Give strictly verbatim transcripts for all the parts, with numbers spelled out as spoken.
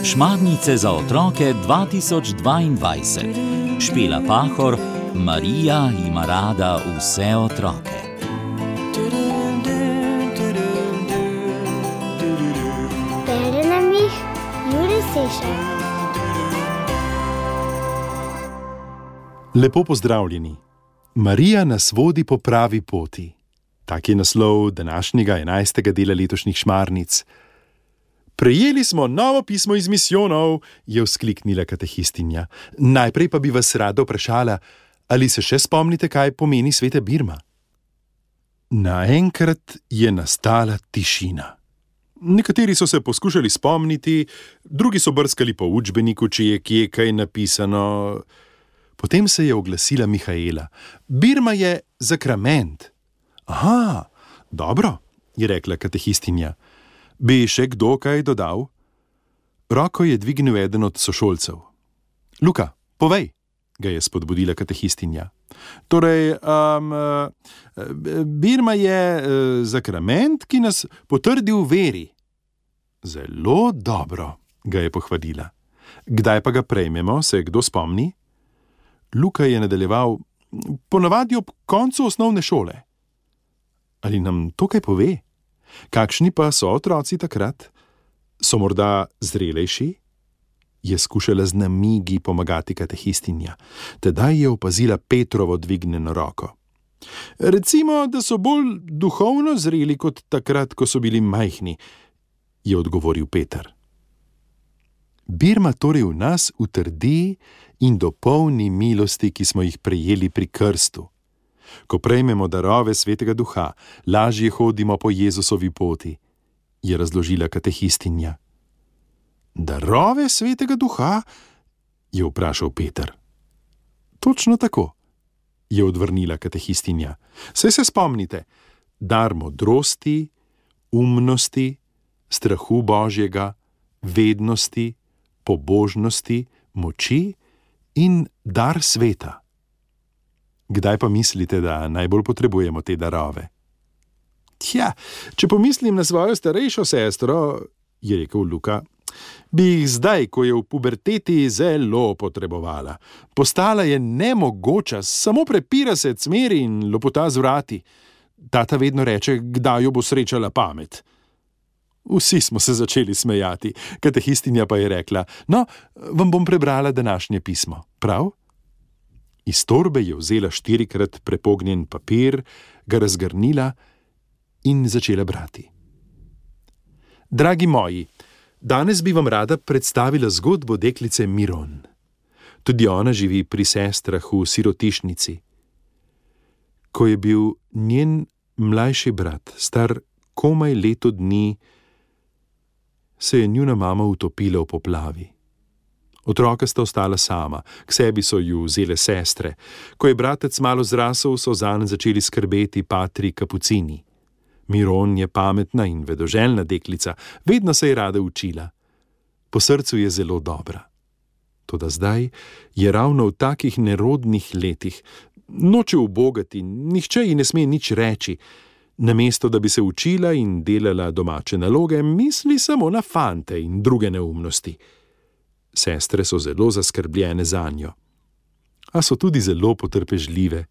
Šmarnice za otroke dva tisoč dvaindvajset. Špela Pahor, Marija ima rada vse otroke. Bere nam jih Jure Sešar. Lepo pozdravljeni. Marija nas vodi po pravi poti. Tak je naslov današnjega enajstega dela letošnjih Šmarnic. Prejeli smo novo pismo iz misijonov, je vzkliknila katehistinja. Najprej pa bi vas rada vprašala, ali se še spomnite, kaj pomeni sveta Birma? Naenkrat je nastala tišina. Nekateri so se poskušali spomniti, drugi so brskali po učbeniku, če je kje kaj napisano. Potem se je oglasila Mihaela. Birma je zakrament. Aha, dobro, je rekla katehistinja. Bi še kdo kaj dodal? Roko je dvignil eden od sošolcev. Luka, povej, ga je spodbudila katehistinja. Torej, um, Birma je uh, zakrament, ki nas potrdi v veri. Zelo dobro, ga je pohvalila. Kdaj pa ga prejmemo, se kdo spomni? Luka je nadaljeval, ponavadi ob koncu osnovne šole. Ali nam to kaj pove? Kakšni pa so otroci takrat? So morda zrelejši? Je skušala z namigi pomagati katehistinja. Tedaj je opazila Petrovo dvignjeno roko. Recimo, da so bolj duhovno zreli kot takrat, ko so bili majhni, je odgovoril Peter. Birma torej v nas utrdi in dopolni milosti, ki smo jih prejeli pri krstu. Ko prejmemo darove svetega duha, lažje hodimo po Jezusovi poti, je razložila katehistinja. Darove svetega duha? Je vprašal Peter. Točno tako, je odvrnila katehistinja. Saj se spomnite, dar modrosti, umnosti, strahu Božjega, vednosti, pobožnosti, moči in dar sveta. Kdaj pa mislite, da najbolj potrebujemo te darove? Tja, če pomislim na svojo starejšo sestro, je rekel Luka, bi jih zdaj, ko je v puberteti, zelo potrebovala. Postala je nemogoča, samo prepira se cmeri in lopota z vrati. Tata vedno reče, kdaj jo bo srečala pamet. Vsi smo se začeli smejati, katehistinja pa je rekla, no, vam bom prebrala današnje pismo, prav? Iz torbe je vzela štirikrat prepognjen papir, ga razgrnila in začela brati. Dragi moji, danes bi vam rada predstavila zgodbo deklice Miron. Tudi ona živi pri sestrah v sirotišnici. Ko je bil njen mlajši brat, star komaj leto dni, se je njuna mama utopila v poplavi. Otroka sta ostala sama, k sebi so ju vzele sestre. Ko je bratec malo zrasel, so zanj začeli skrbeti patri kapucini. Miron je pametna in vedoželjna deklica, vedno se je rada učila. Po srcu je zelo dobra. Toda zdaj je ravno v takih nerodnih letih, noče ubogati, nihče ji ne sme nič reči. Namesto da bi se učila in delala domače naloge, misli samo na fante in druge neumnosti. Sestre so zelo zaskrbljene zanjo. A so tudi zelo potrpežljive.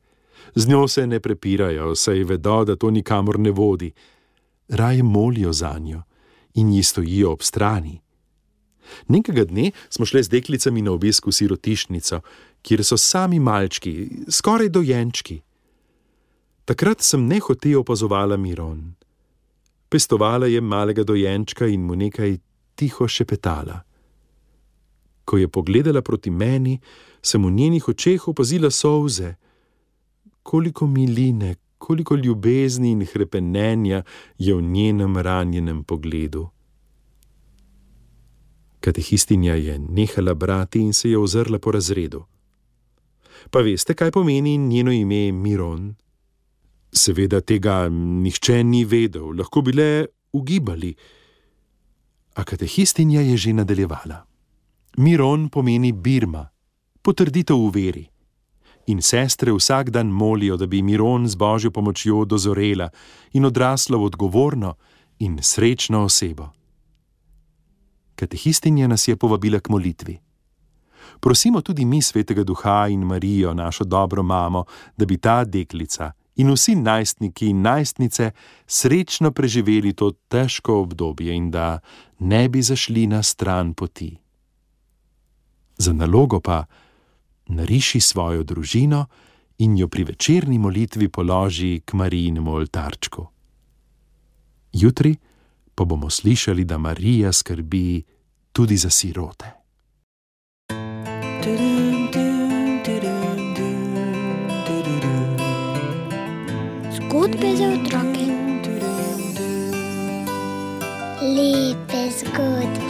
Z njo se ne prepirajo, saj vedo, da to nikamor ne vodi. Raje molijo zanjo in ji stojijo ob strani. Nekega dne smo šle z deklicami na obisk v sirotišnico, kjer so sami malčki, skoraj dojenčki. Takrat sem nehote opazovala Miron. Pestovala je malega dojenčka in mu nekaj tiho šepetala. Ko je pogledala proti meni, sem v njenih očeh opazila solze. Koliko miline, koliko ljubezni in hrepenenja je v njenem ranjenem pogledu. Katehistinja je nehala brati in se je ozrla po razredu. Pa veste, kaj pomeni njeno ime Miron? Seveda tega nihče ni vedel, lahko bi le ugibali. A katehistinja je že nadaljevala. Miron pomeni Birma, potrditev v veri. In sestre vsak dan molijo, da bi Miron z Božjo pomočjo dozorela in odrasla v odgovorno in srečno osebo. Katehistinja nas je povabila k molitvi. Prosimo tudi mi Svetega Duha in Marijo, našo dobro mamo, da bi ta deklica in vsi najstniki in najstnice srečno preživeli to težko obdobje in da ne bi zašli na stran poti. Za nalogo pa nariši svojo družino in jo pri večerni molitvi položi k Marijinemu oltarčku. Jutri pa bomo slišali, da Marija skrbi tudi za sirote. Zgodbe za otroke. Lepe zgodbe.